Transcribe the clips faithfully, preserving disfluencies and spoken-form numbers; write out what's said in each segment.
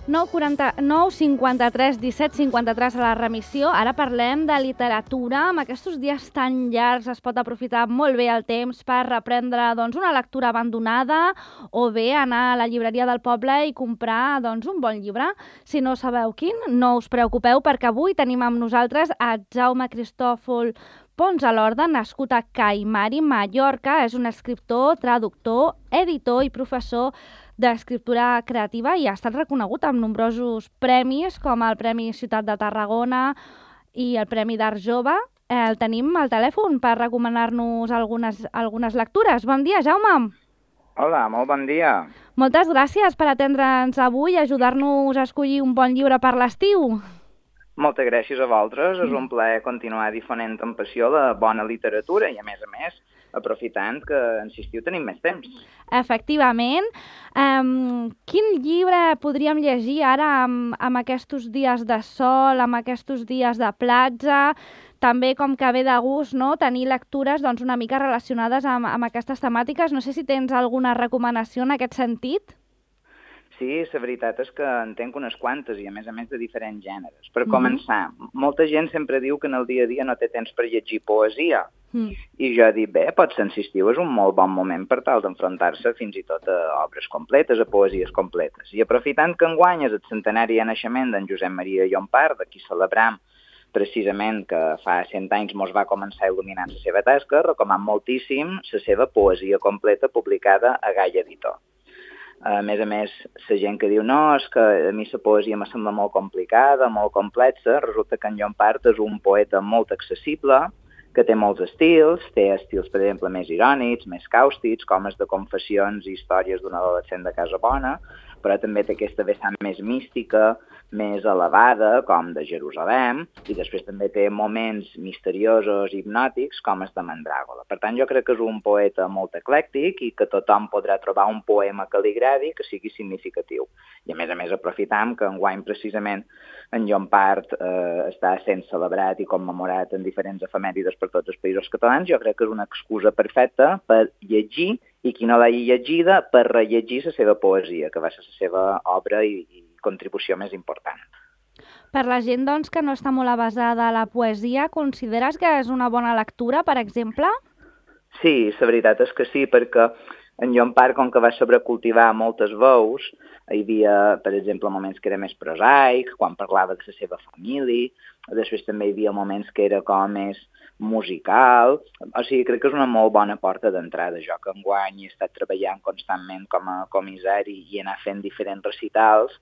nou cinquanta-tres disset cinquanta-tres a la remissió. Ara parlem de literatura. Amb aquests dies tan llargs es pot aprofitar molt bé el temps per reprendre doncs, una lectura abandonada o bé anar a la llibreria del poble i comprar doncs, un bon llibre. Si no sabeu quin, no us preocupeu perquè avui tenim amb nosaltres a Jaume Cristòfol Pons a l'Horda, nascut a Caimari, Mallorca. És un escriptor, traductor, editor i professor d'escriptura creativa i ha estat reconegut amb nombrosos premis com el Premi Ciutat de Tarragona i el Premi d'Art Jove. El tenim al telèfon per recomanar-nos algunes, algunes lectures. Bon dia, Jaume. Hola, molt bon dia. Moltes gràcies per atendre'ns avui i ajudar-nos a escollir un bon llibre per l'estiu. Moltes gràcies a vosaltres. És un plaer continuar difonent amb passió la bona literatura i, a més a més, aprofitant que, en estiu tenim més temps. Efectivament. Um, quin llibre podríem llegir ara amb, amb aquests dies de sol, amb aquests dies de platja? També com que ve de gust, no?, tenir lectures doncs, una mica relacionades amb, amb aquestes temàtiques. No sé si tens alguna recomanació en aquest sentit. Sí, la veritat és que en tenc unes quantes i, a més a més, de diferents gèneres. Per mm-hmm. començar, molta gent sempre diu que en el dia a dia no té temps per llegir poesia. Mm. I jo dic, bé, potser en l'estiu és un molt bon moment per tal d'enfrontar-se fins i tot a obres completes, a poesies completes. I aprofitant que enguany és el centenari de naixement d'en Josep Maria Llompart, d'aquí celebram precisament que fa cent anys mos va començar il·luminant la seva tasca, recomano moltíssim la seva poesia completa publicada a Gaia Editor. A més a més, la gent que diu no, és que a mi la poesia me sembla molt complicada, molt complexa, resulta que en Llompart és un poeta molt accessible, que té molts estils, té estils, per exemple, més irònics, més càustics, com els de confessions i històries d'un adolescent de casa bona, però també té aquesta vessant més mística, més elevada, com de Jerusalem, i després també té moments misteriosos i hipnòtics, com els de Mandràgola. Per tant, jo crec que és un poeta molt eclèctic i que tothom podrà trobar un poema que li agradi, que sigui significatiu. I, a més a més, aprofitam que enguany, precisament, en Llompart eh, està sent celebrat i commemorat en diferents efemèrides per tots els països catalans. Jo crec que és una excusa perfecta per llegir i qui no l'hagi llegida per rellegir la seva poesia, que va ser la seva obra i, i contribució més important. Per la gent doncs, que no està molt avesada a la poesia, consideres que és una bona lectura, per exemple? Sí, la veritat és que sí, perquè en Llompart, com que va sobrecultivar moltes veus, hi havia, per exemple, moments que era més prosaic, quan parlava de la seva família, després també hi havia moments que era com més musical, o sigui, crec que és una molt bona porta d'entrada. Jo que enguany he estat treballant constantment com a comissari i he anat fent diferents recitals,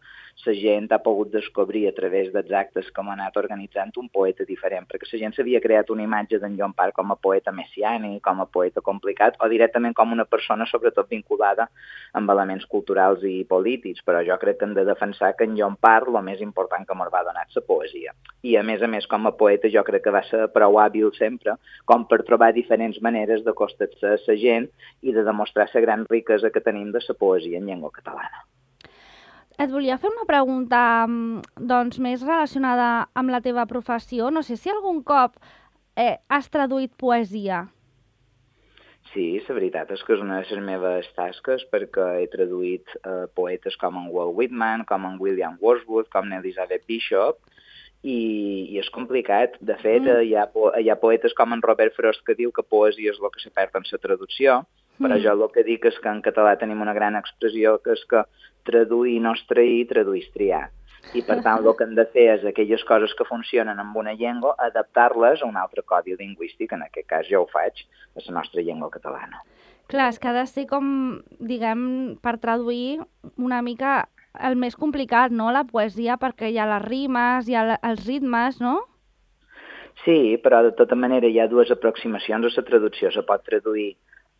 la gent ha pogut descobrir a través dels actes com ha anat organitzant un poeta diferent, perquè la gent s'havia creat una imatge d'en Llompart com a poeta messiànic, com a poeta complicat, o directament com una persona sobretot vinculada amb elements culturals i polítics, però jo crec que hem de defensar que en Llompart el més important que ens va donar és la poesia. I a més a més, com a poeta, jo crec que va ser prou hàbil sempre com per trobar diferents maneres d'acostar-se a la gent i de demostrar la gran riquesa que tenim de la poesia en llengua catalana. Et volia fer una pregunta doncs, més relacionada amb la teva professió. No sé si algun cop eh, has traduït poesia. Sí, la veritat és que és una de les meves tasques perquè he traduït eh, poetes com en Walt Whitman, com en William Wordsworth, com en Elizabeth Bishop, i, i és complicat. De fet, mm. hi, ha, hi ha poetes com en Robert Frost que diu que poesia és el que se perd en la traducció, però mm. jo el que dic és que en català tenim una gran expressió que és que traduir no és trair, traduir és triar. I per tant el que hem de fer és aquelles coses que funcionen amb una llengua, adaptar-les a un altre codi lingüístic, en aquest cas jo ho faig a la nostra llengua catalana. Clar, és que ha de ser com, diguem, per traduir una mica el més complicat, no?, la poesia, perquè hi ha les rimes, hi ha els ritmes, no? Sí, però de tota manera hi ha dues aproximacions a la traducció. Se pot traduir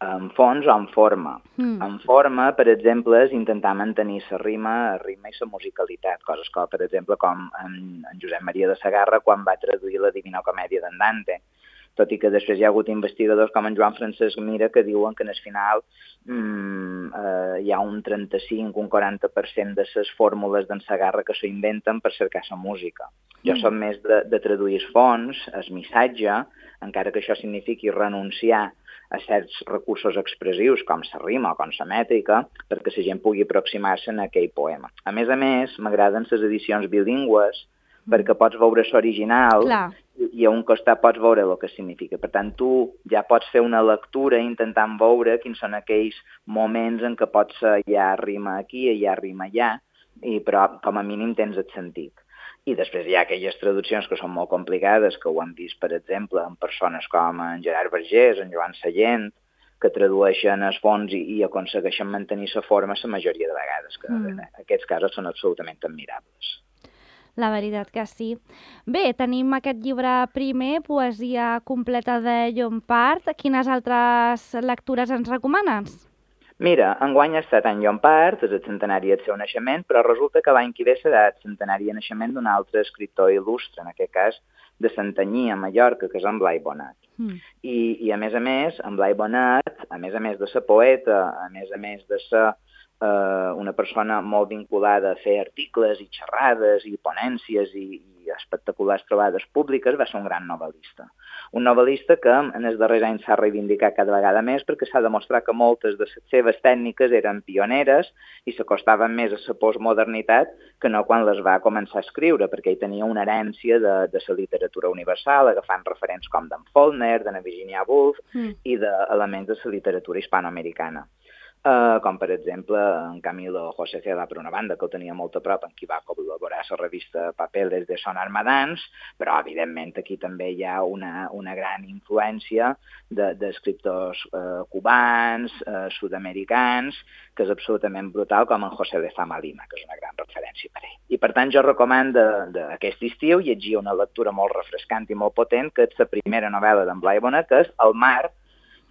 en fons o en forma. Mm. En forma, per exemple, és intentar mantenir la rima, la rima i la musicalitat, coses com, per exemple, com en, en Josep Maria de Sagarra quan va traduir la Divina Comèdia d'en Dante. Tot i que després hi ha hagut investigadors com en Joan Francesc Mira que diuen que en el final mmm, eh, hi ha un trenta-cinc, un quaranta per cent de les fórmules d'en Sagarra que s'ho inventen per cercar la música. Jo mm. som més de, de traduir els fons, el missatge, encara que això signifiqui renunciar a certs recursos expressius com la rima o com la mètrica perquè la gent pugui aproximar-se a aquell poema. A més a més, m'agraden les edicions bilingües perquè pots veure l'original i a un costat pots veure el que significa. Per tant, tu ja pots fer una lectura intentant veure quins són aquells moments en què pots ser ja rima aquí, ja rima allà, i, però com a mínim tens el sentit. I després hi ha aquelles traduccions que són molt complicades, que ho hem vist, per exemple, en persones com en Gerard Vergés, en Joan Sallent, que tradueixen els fons i, i aconsegueixen mantenir la forma la majoria de vegades, que mm. en aquests casos són absolutament admirables. La veritat que sí. Bé, tenim aquest llibre primer, Poesia completa de Llompart. Quines altres lectures ens recomanes? Mira, enguany ha estat en Llompart, és el centenari del seu naixement, però resulta que l'any que ve serà el centenari de naixement d'un altre escriptor il·lustre, en aquest cas de Santanyí, a Mallorca, que és en Blai Bonet. Mm. I, I a més a més, en Blai Bonet, a més a més de ser poeta, a més a més de ser eh, una persona molt vinculada a fer articles i xerrades i ponències i, i espectaculars trobades públiques, va ser un gran novel·lista. Un novel·lista que en els darrers anys s'ha reivindicat cada vegada més perquè s'ha demostrat que moltes de les seves tècniques eren pioneres i s'acostaven més a la postmodernitat que no quan les va començar a escriure, perquè ell tenia una herència de, de la literatura universal, agafant referents com d'en Faulkner, de Virginia Woolf mm. i d'elements de la literatura hispanoamericana. Uh, com per exemple en Camilo José Cela, per una banda, que el tenia molt a prop, en qui va col·laborar a la revista Papeles de Son Armadans, però evidentment aquí també hi ha una, una gran influència d'escriptors de, uh, cubans, uh, sud-americans, que és absolutament brutal, com en José Lezama Lima, que és una gran referència per ell. I per tant jo recomano aquest estiu llegir una lectura molt refrescant i molt potent, que és la primera novel·la d'en Blai Bonet, que és El mar,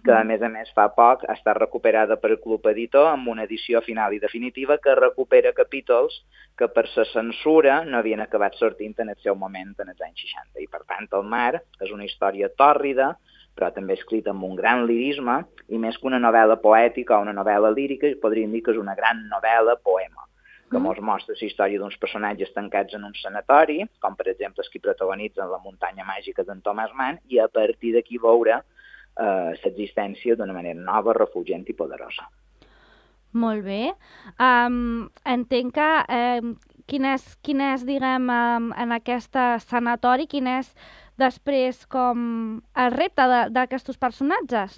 que a més a més fa poc ha estat recuperada per el Club Editor amb una edició final i definitiva que recupera capítols que per la censura no havien acabat sortint en el seu moment en els anys seixanta. I per tant El mar és una història tòrrida, però també escrita amb un gran lirisme, i més que una novel·la poètica o una novel·la lírica, podríem dir que és una gran novel·la poema, que ens mostra la història d'uns personatges tancats en un sanatori, com per exemple els que protagonitzen La muntanya màgica d'en Thomas Mann, i a partir d'aquí veure l'existència d'una manera nova, refulgent i poderosa. Molt bé. Um, entenc que um, quin és, quin és, diguem, um, en aquest sanatori, quin és després com el repte d'aquests personatges?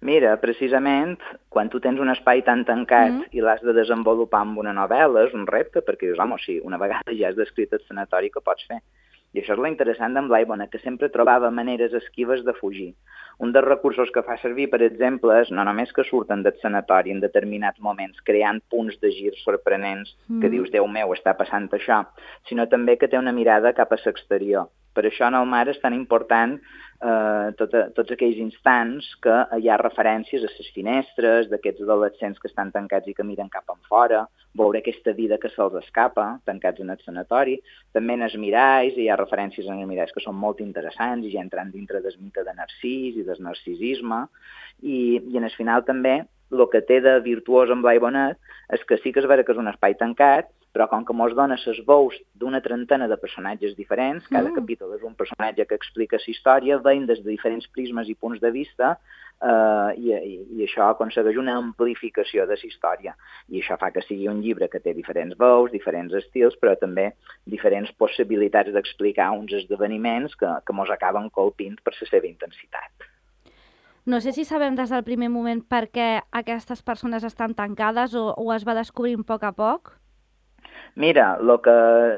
Mira, precisament, quan tu tens un espai tan tancat mm. i l'has de desenvolupar amb una novel·la, és un repte, perquè dius, home, sí, una vegada ja has descrit el sanatori, que pots fer? I això és lo interessant d'en Blai Bonet, que sempre trobava maneres esquives de fugir. Un dels recursos que fa servir, per exemple, és no només que surten del sanatori en determinats moments, creant punts de gir sorprenents, mm. que dius, Déu meu, està passant això, sinó també que té una mirada cap a l'exterior. Per això en El mar és tan important eh, tot, tots aquells instants que hi ha referències a les finestres, d'aquests adolescents que estan tancats i que miren cap en fora, veure aquesta vida que se'ls escapa, tancats en el sanatori. També en els miralls, hi ha referències en els miralls que són molt interessants i ja entrant dintre del mite de Narcís i del narcisisme. I, i en el final també el que té de virtuós en Blai Bonet és que sí que és vera que és un espai tancat, però com que mos dona les veus d'una trentena de personatges diferents, cada mm. capítol és un personatge que explica la història, veient des de diferents prismes i punts de vista, eh, i, i, i això aconsegueix una amplificació de la història. I això fa que sigui un llibre que té diferents veus, diferents estils, però també diferents possibilitats d'explicar uns esdeveniments que, que mos acaben colpint per la seva intensitat. No sé si sabem des del primer moment per què aquestes persones estan tancades o, o es va descobrint a poc a poc? Mira, el que,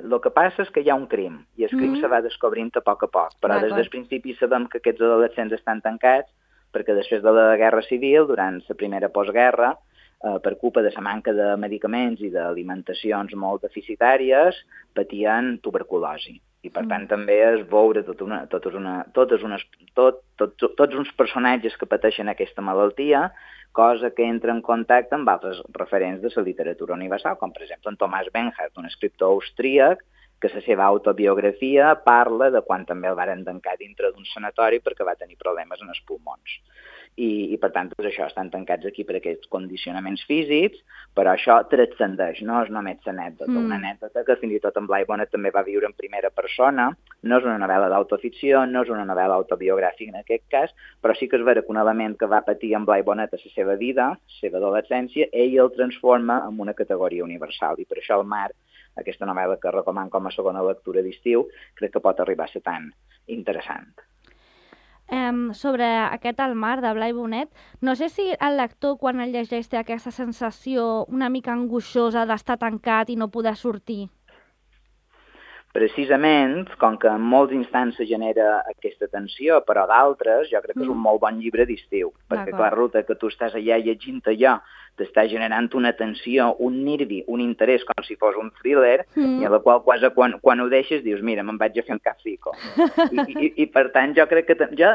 lo que passa és que hi ha un crim, i el crim mm-hmm. se va descobrint a poc a poc, però des del principi sabem que aquests adolescents estan tancats perquè després de la Guerra Civil, durant la primera postguerra, eh, per culpa de la manca de medicaments i d'alimentacions molt deficitàries, patien tuberculosi. I per tant també és veure tot una, totes una, totes unes, tot, tot, tot, tots uns personatges que pateixen aquesta malaltia, cosa que entra en contacte amb altres referents de la literatura universal, com per exemple en Thomas Bernhard, un escriptor austríac que la seva autobiografia parla de quan també el varen tancar dintre d'un sanatori perquè va tenir problemes en els pulmons. I, i per tant, doncs això, estan tancats aquí per aquests condicionaments físics, però això transcendeix, no és només l'anècdota. Mm. Una anècdota que fins i tot en Blai Bonet també va viure en primera persona, no és una novel·la d'autoficció, no és una novel·la autobiogràfica en aquest cas, però sí que és vera que un element que va patir en Blai Bonet a la seva vida, la seva adolescència, ell el transforma en una categoria universal, i per això el Mar, aquesta novel·la que recomano com a segona lectura d'estiu, crec que pot arribar a ser tan interessant. Um, sobre aquest El Mar de Blai Bonet, no sé si el lector quan el llegeix té aquesta sensació una mica angoixosa d'estar tancat i no poder sortir. Precisament, com que en molts instants se genera aquesta tensió, però d'altres jo crec que és un molt bon llibre d'estiu, perquè clar, resulta que tu estàs allà llegint allò, t'està generant una tensió, un nervi, un interès, com si fos un thriller, mm. i a la qual quasi quan, quan ho deixes dius, mira, me'n vaig a fer un capfico. I, i, I per tant jo crec que... Jo,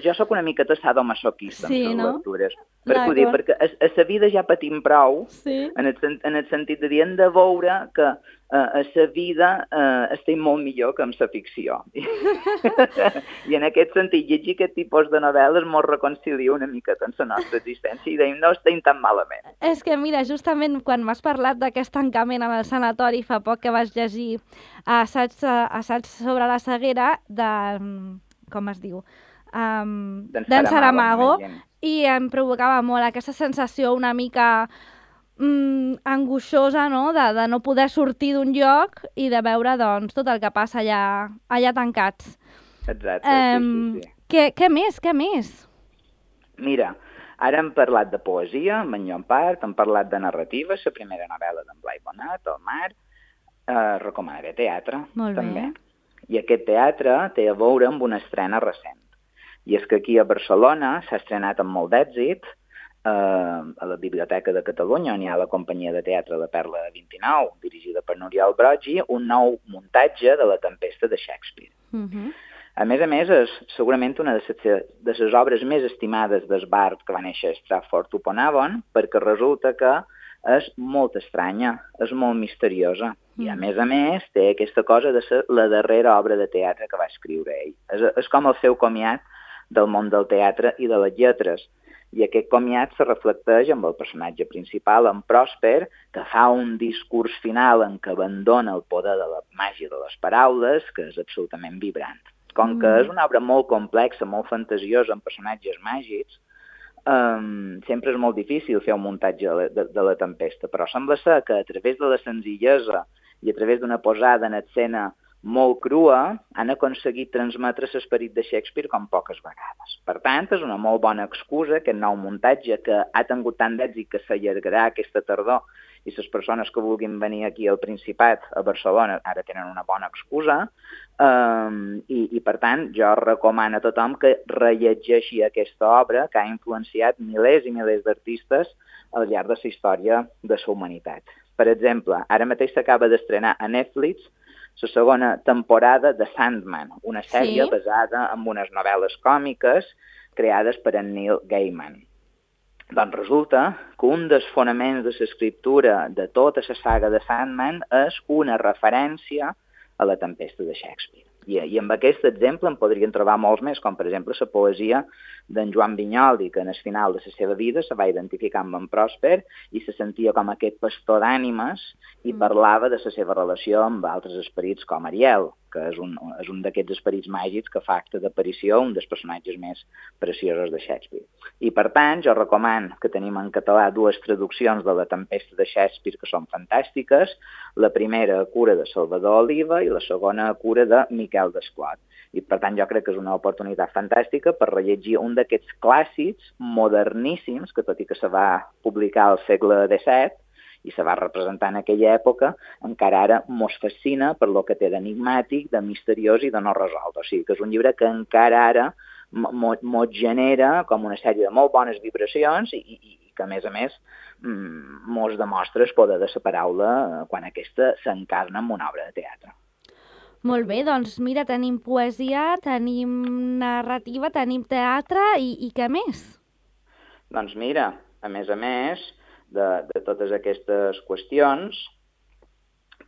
jo sóc una mica sadomasoquista sí, amb les no? lectures. Per dir, perquè a, a la vida ja patim prou, sí. en, el, en el sentit de dir, hem de veure que uh, a la vida uh, estem molt millor que amb la ficció. I en aquest sentit, llegir aquest tipus de novel·les molt reconcilia una mica amb la nostra existència i deim, no estem tan malament. És que, mira, justament quan m'has parlat d'aquest tancament amb el sanatori fa poc que vas llegir assaig, assaig sobre la ceguera de... com es diu? Um, d'en Saramago, i em provocava molt aquesta sensació una mica mm, angoixosa, no? De, de no poder sortir d'un lloc i de veure doncs, tot el que passa allà, allà tancats. Exacte, um, sí, sí, sí. Què, què més, què més? Mira, ara hem parlat de poesia, amb en Llompart, hem parlat de narrativa, la primera novel·la d'en Blai Bonet, El Mar, eh, recomanaré teatre, molt també. Bé. I aquest teatre té a veure amb una estrena recent. I és que aquí a Barcelona s'ha estrenat amb molt d'èxit, eh, a la Biblioteca de Catalunya, on hi ha la companyia de teatre La Perla vint-i-nou, dirigida per N'Oriol Broggi, un nou muntatge de La Tempesta de Shakespeare. Uh-huh. A més a més, és segurament una de les, de les obres més estimades del Bard que va néixer a Stratford-upon-Avon, perquè resulta que és molt estranya, és molt misteriosa. Mm. I a més a més té aquesta cosa de ser la darrera obra de teatre que va escriure ell. És, és com el seu comiat del món del teatre i de les lletres. I aquest comiat se reflecteix amb el personatge principal, en Prosper, que fa un discurs final en què abandona el poder de la màgia de les paraules, que és absolutament vibrant. Com que és una obra molt complexa, molt fantasiosa, amb personatges màgics, um, sempre és molt difícil fer un muntatge de la, de, de la tempesta, però sembla ser que a través de la senzillesa i a través d'una posada en escena molt crua, han aconseguit transmetre l'esperit de Shakespeare com poques vegades. Per tant, és una molt bona excusa, aquest nou muntatge que ha tingut tant d'èxit que s'allargarà aquesta tardor, i les persones que vulguin venir aquí al Principat, a Barcelona, ara tenen una bona excusa, um, i, i per tant jo recomano a tothom que rellegeixi aquesta obra que ha influenciat milers i milers d'artistes al llarg de la història de la humanitat. Per exemple, ara mateix s'acaba d'estrenar a Netflix la segona temporada de Sandman, una sèrie sí? basada en unes novel·les còmiques creades per en Neil Gaiman. Doncs resulta que un dels fonaments de l'escriptura de tota la saga de Sandman és una referència a La Tempesta de Shakespeare. I, i amb aquest exemple en podrien trobar molts més, com per exemple la poesia d'en Joan Vinyoli, que en el final de la seva vida se va identificar amb en Prosper i se sentia com aquest pastor d'ànimes i parlava de la seva relació amb altres esperits com Ariel, que és un, és un d'aquests esperits màgics que fa acte d'aparició, un dels personatges més preciosos de Shakespeare. I per tant, jo recomano que tenim en català dues traduccions de La Tempesta de Shakespeare que són fantàstiques, la primera a cura de Salvador Oliva i la segona a cura de Miquel Desclot. I per tant jo crec que és una oportunitat fantàstica per rellegir un d'aquests clàssics moderníssims, que tot i que se va publicar al segle disset, i se va representar en aquella època, encara ara mos fascina per lo que té d'enigmàtic, de misteriós i de no resolt. O sigui que és un llibre que encara ara mos genera com una sèrie de molt bones vibracions i, i, i que, a més a més, mos demostra el poder de la paraula quan aquesta s'encarna en una obra de teatre. Molt bé, doncs mira, tenim poesia, tenim narrativa, tenim teatre i, i què més? Doncs mira, a més a més, De, de totes aquestes qüestions,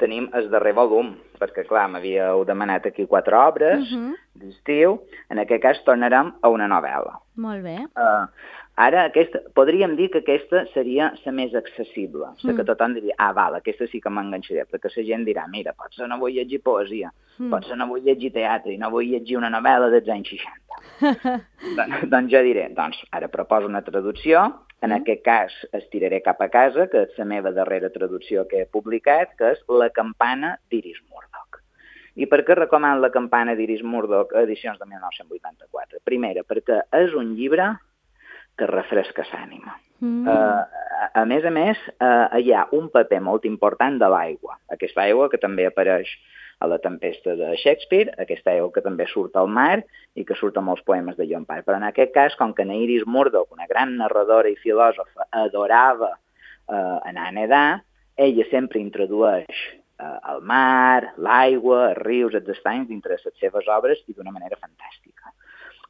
tenim el darrer volum, perquè, clar, m'havíeu demanat aquí quatre obres uh -huh. d'estiu. En aquest cas tornarem a una novel·la. Molt bé. Uh, ara, aquesta, podríem dir que aquesta seria la més accessible, la mm. que tothom diria, ah, val, aquesta sí que m'enganxaré, perquè la gent dirà, mira, potser no vull llegir poesia, mm. potser no vull llegir teatre i no vull llegir una novel·la dels anys seixanta. Don, doncs jo diré, doncs, ara proposo una traducció. En mm. aquest cas, estiraré cap a casa, que és la meva darrera traducció que he publicat, que és La campana d'Iris Murdoch. I per què recomano La campana d'Iris Murdoch, edicions de mil nou-cents vuitanta-quatre? Primera, perquè és un llibre que refresca l'ànima. Mm. Uh, a, a més a més, uh, hi ha un paper molt important de l'aigua. Aquesta aigua que també apareix a La tempesta de Shakespeare, aquesta aigua que també surt al mar i que surt a molts poemes de Llompart. Però en aquest cas, com que Iris Murdoch, una gran narradora i filòsofa, adorava uh, anar a nedar, ella sempre introdueix uh, el mar, l'aigua, els rius, els estanys dintre les seves obres i d'una manera fantàstica.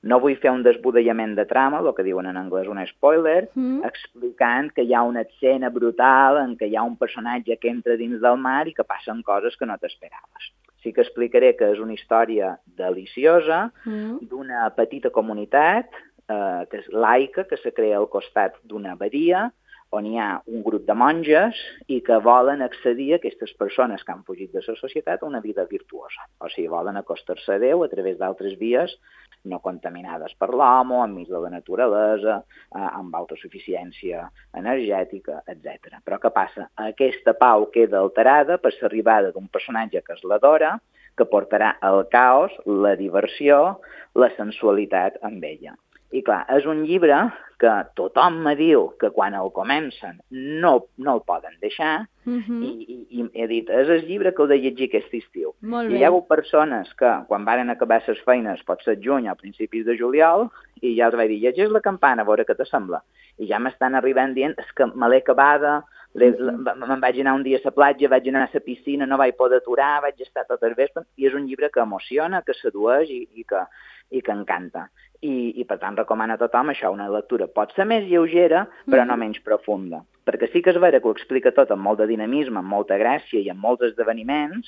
No vull fer un desbudellament de trama, el que diuen en anglès un spoiler, mm. explicant que hi ha una escena brutal en què hi ha un personatge que entra dins del mar i que passen coses que no t'esperaves. Sí que explicaré que és una història deliciosa mm. d'una petita comunitat eh, que és laica, que se crea al costat d'una abadia, on hi ha un grup de monges i que volen accedir a aquestes persones que han fugit de la societat a una vida virtuosa. O sigui, volen acostar-se a Déu a través d'altres vies no contaminades per l'home, enmig de la naturalesa, eh, amb autosuficiència energètica, etcètera. Però què passa? Aquesta pau queda alterada per l'arribada d'un personatge que és l'adora, que portarà el caos, la diversió, la sensualitat amb ella. I clar, és un llibre que tothom me diu que quan el comencen no, no el poden deixar uh-huh. i, i, i he dit, és el llibre que heu de llegir aquest estiu. Molt I bé. hi ha hagut persones que quan varen acabar les feines, pot ser juny a principis de juliol, i ja els vaig dir, llegeix La campana, a veure què te sembla. I ja m'estan arribant dient, és que me l'he acabada, uh-huh. me'n vaig anar un dia a la platja, vaig anar a la piscina, no vaig poder aturar, vaig estar tot el vespre, i és un llibre que emociona, que sedueix i, i, que, i que encanta. I, i per tant recomano a tothom això, una lectura pot ser més lleugera, però mm. no menys profunda. Perquè sí que és vera que ho explica tot amb molt de dinamisme, amb molta gràcia i amb molts esdeveniments,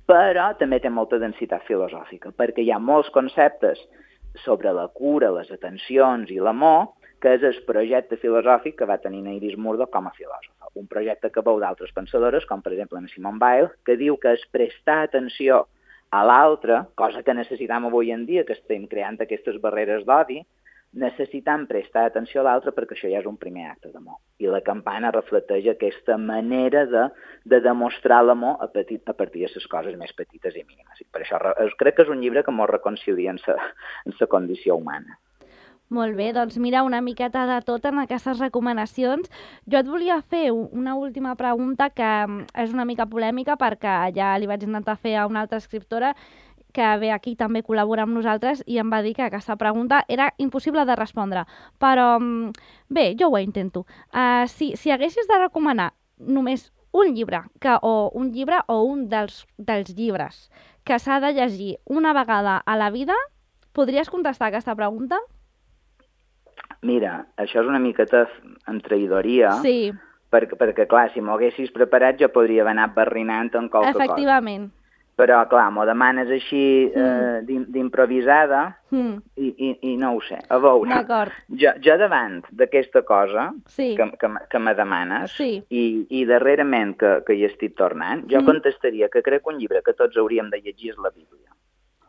però també té molta densitat filosòfica, perquè hi ha molts conceptes sobre la cura, les atencions i l'amor, que és el projecte filosòfic que va tenir Iris Murdoch com a filòsofa. Un projecte que veu d'altres pensadores, com per exemple Simone Weil, que diu que és prestar atenció a l'altre, cosa que necessitam avui en dia, que estem creant aquestes barreres d'odi, necessitam prestar atenció a l'altre perquè això ja és un primer acte d'amor. I La campana reflecteix aquesta manera de, de demostrar l'amor a, petit, a partir de les coses més petites i mínimes. I per això crec que és un llibre que ens reconcilia en la condició humana. Molt bé, doncs mira, una miqueta de tot en aquestes recomanacions. Jo et volia fer una última pregunta que és una mica polèmica perquè ja li vaig intentar fer a una altra escriptora que ve aquí també col·labora amb nosaltres i em va dir que aquesta pregunta era impossible de respondre. Però bé, jo ho intento. Uh, si, si haguessis de recomanar només un llibre que, o un llibre o un dels, dels llibres que s'ha de llegir una vegada a la vida, podries contestar aquesta pregunta? Mira, això és una miqueta en traïdoria, sí. perquè, perquè, clar, si m'ho haguessis preparat jo podria haver anat barrinant en qualque cosa. Efectivament. Però, clar, m'ho demanes així mm. eh, d'improvisada mm. i, i, i no ho sé. A veure, d'acord. Jo, jo davant d'aquesta cosa sí. que, que, que me demanes sí. i, i darrerament que, que hi estic tornant, jo mm. contestaria que crec que un llibre que tots hauríem de llegir és la Bíblia.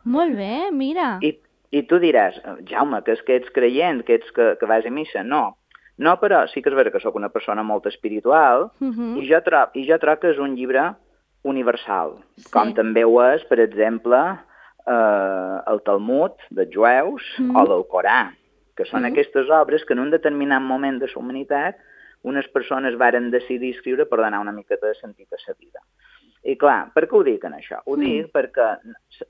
Molt bé, mira. I, I tu diràs, Jaume, que és que ets creient, que ets que, que vas a missa. No, no, però sí que és vera que sóc una persona molt espiritual uh-huh. i, jo trob, i jo trobo que és un llibre universal, sí. com també ho és, per exemple, eh, el Talmud dels jueus uh-huh. o l'Alcorà, que són uh-huh. aquestes obres que en un determinat moment de la humanitat unes persones varen decidir escriure per donar una mica de sentit a la vida. I clar, per què ho dic en això? Ho uh-huh. dic perquè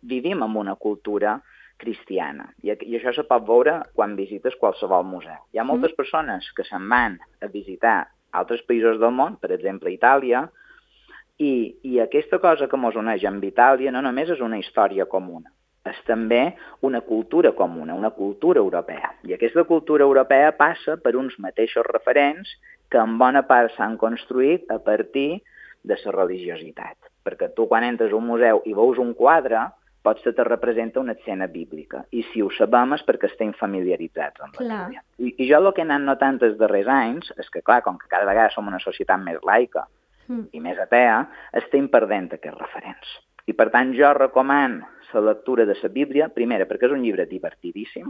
vivim en una cultura cristiana. I, I això se pot veure quan visites qualsevol museu. Hi ha moltes mm. persones que se'n van a visitar altres països del món, per exemple Itàlia, i, i aquesta cosa que ens uneix amb Itàlia no només és una història comuna, és també una cultura comuna, una cultura europea. I aquesta cultura europea passa per uns mateixos referents que en bona part s'han construït a partir de la religiositat. perquè tu quan entres a un museu i veus un quadre, pots que te representa una escena bíblica, i si ho sabem és perquè estem familiaritzats amb la Bíblia. I, I jo el que he anat notant els darrers anys és que, clar, com que cada vegada som una societat més laica mm. i més atea, estem perdent aquests referents. I per tant jo recomano la lectura de la Bíblia, primera, perquè és un llibre divertidíssim,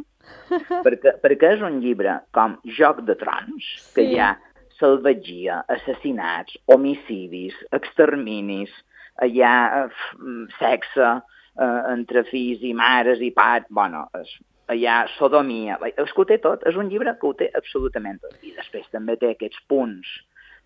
perquè, perquè és un llibre com Joc de Trons, sí. que hi ha salvatgia, assassinats, homicidis, exterminis, hi ha uh, sexe uh, entre fills i mares i pares, bueno, es, hi ha sodomia, és que ho té tot, és un llibre que ho té absolutament tot. I després també té aquests punts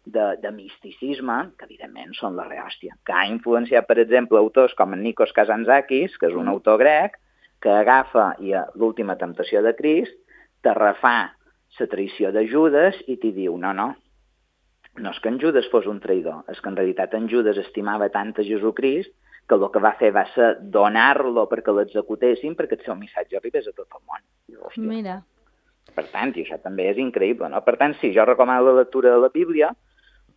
de, de misticisme, que evidentment són la rehòstia, que ha influenciat, per exemple, autors com en Nikos Kazantzakis, que és un autor grec, que agafa i a l'última temptació de Crist, te refà la traïció de Judes i t'hi diu, no, no, no és que en Judes fos un traïdor, és que en realitat en Judes estimava tant a Jesucrist que el que va fer va ser donar-lo perquè l'executessin perquè el seu missatge arribés a tot el món. Hòstia. Mira. Per tant, i això també és increïble, no? Per tant, sí, jo recomano la lectura de la Bíblia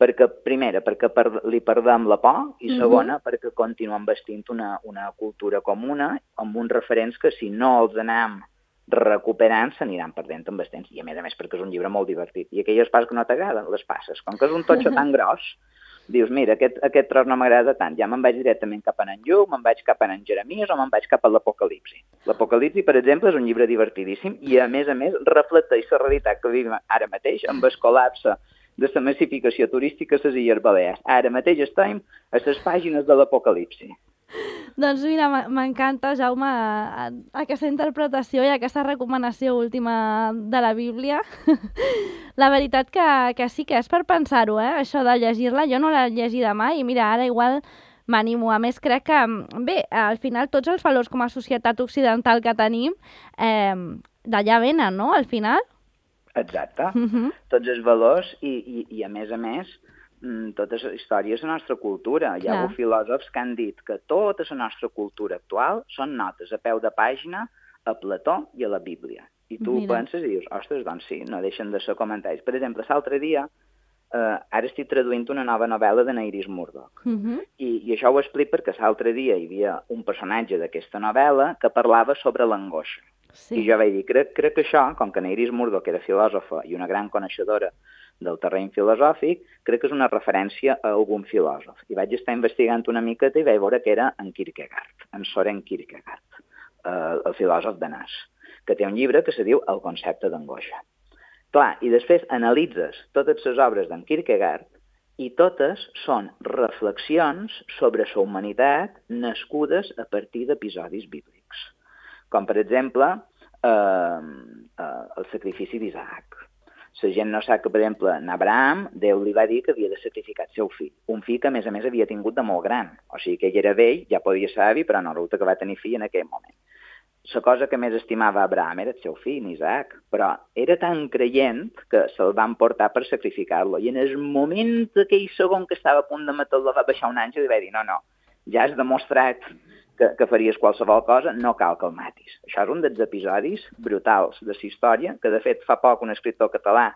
perquè, primera, perquè per, li perdem la por i segona, uh-huh. perquè continuem vestint una, una cultura comuna amb uns referents que si no els anem recuperant s'aniran perdent amb el temps. I a més a més perquè és un llibre molt divertit. I aquelles parts que no t'agraden, les passes. Com que és un totxo tan gros, dius, mira, aquest, aquest tros no m'agrada tant, ja me'n vaig directament cap a en Lluc, me'n vaig cap a en Jeremies o me'n vaig cap a l'Apocalipsi. L'Apocalipsi, per exemple, és un llibre divertidíssim i, a més a més, reflecteix la realitat que vivim ara mateix amb el col·lapse de la massificació turística a les Illes Balears. Ara mateix estem a les pàgines de l'Apocalipsi. Doncs mira, m'encanta, Jaume, aquesta interpretació i aquesta recomanació última de la Bíblia. La veritat que, que sí que és per pensar-ho, eh? Això de llegir-la. Jo no l'he llegida mai i mira, ara igual m'animo. A més, crec que, bé, al final tots els valors com a societat occidental que tenim eh, d'allà venen, no?, al final. Exacte. Uh-huh. Tots els valors i, i, i a més a més, tota la història és la nostra cultura. Hi ha hagut filòsofs que han dit que tota la nostra cultura actual són notes a peu de pàgina a Plató i a la Bíblia. I tu Mira. penses i dius, ostres, doncs sí, no deixen de ser comentaris. Per exemple, l'altre dia, eh, ara estic traduint una nova novel·la de Iris Murdoch. Uh-huh. I, I això ho explico perquè l'altre dia hi havia un personatge d'aquesta novel·la que parlava sobre l'angoixa. Sí. I jo vaig dir, crec, crec que això, com que Iris Murdoch era filòsofa i una gran coneixedora del terreny filosòfic, crec que és una referència a algun filòsof. I vaig estar investigant una miqueta i vaig veure que era en Kierkegaard, en Søren Kierkegaard, eh, el filòsof danès, que té un llibre que se diu El concepte d'angoixa. Clar, i després analitzes totes les obres d'en Kierkegaard i totes són reflexions sobre la humanitat nascudes a partir d'episodis bíblics. Com, per exemple, eh, eh, el sacrifici d'Isaac. La gent no sap que, per exemple, en Abraham, Déu li va dir que havia de sacrificar el seu fill. Un fill que, a més a més, havia tingut de molt gran. O sigui que ell era vell, ja podia ser avi, però no resulta que va tenir fill en aquell moment. La cosa que més estimava Abraham era el seu fill, Isaac, però era tan creient que se'l van portar per sacrificar-lo. I en el moment aquell segon que estava a punt de matar-lo va baixar un àngel i va dir, no, no, ja has demostrat que, que faries qualsevol cosa, no cal que el matis. Això és un dels episodis brutals de la història, que de fet fa poc un escriptor català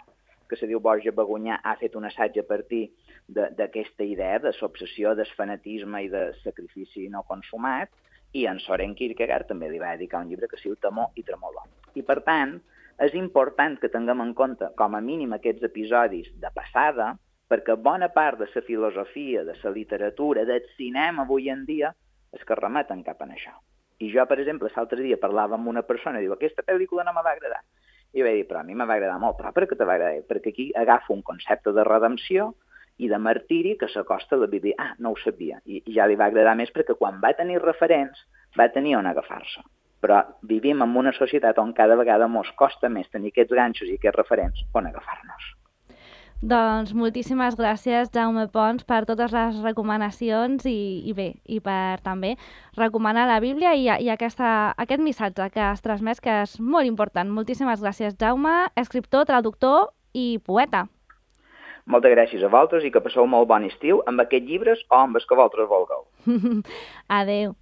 que se diu Borja Bagunyà ha fet un assaig a partir d'aquesta idea de l'obsessió, del fanatisme i del sacrifici no consumat, i en Søren Kierkegaard també li va dedicar un llibre que es diu Temor i Tremolor. I per tant, és important que tinguem en compte com a mínim aquests episodis de passada, perquè bona part de la filosofia, de la literatura, del cinema avui en dia, és que remeten cap a això. I jo, per exemple, l'altre dia parlava amb una persona i diu, aquesta pel·lícula no me va agradar. I vaig dir, però a mi me va agradar molt. Però per què te va agradar? Perquè aquí agafa un concepte de redempció i de martiri que s'acosta a la Bíblia. Ah, no ho sabia. I, I ja li va agradar més perquè quan va tenir referents va tenir on agafar-se. Però vivim en una societat on cada vegada mos costa més tenir aquests ganxos i aquests referents on agafar-nos. Doncs moltíssimes gràcies, Jaume Pons, per totes les recomanacions i, i bé, i per també recomanar la Bíblia i, i aquesta, aquest missatge que has transmès, que és molt important. Moltíssimes gràcies, Jaume, escriptor, traductor i poeta. Moltes gràcies a vosaltres i que passeu molt bon estiu amb aquests llibres o amb els que vosaltres vulgueu. Adéu.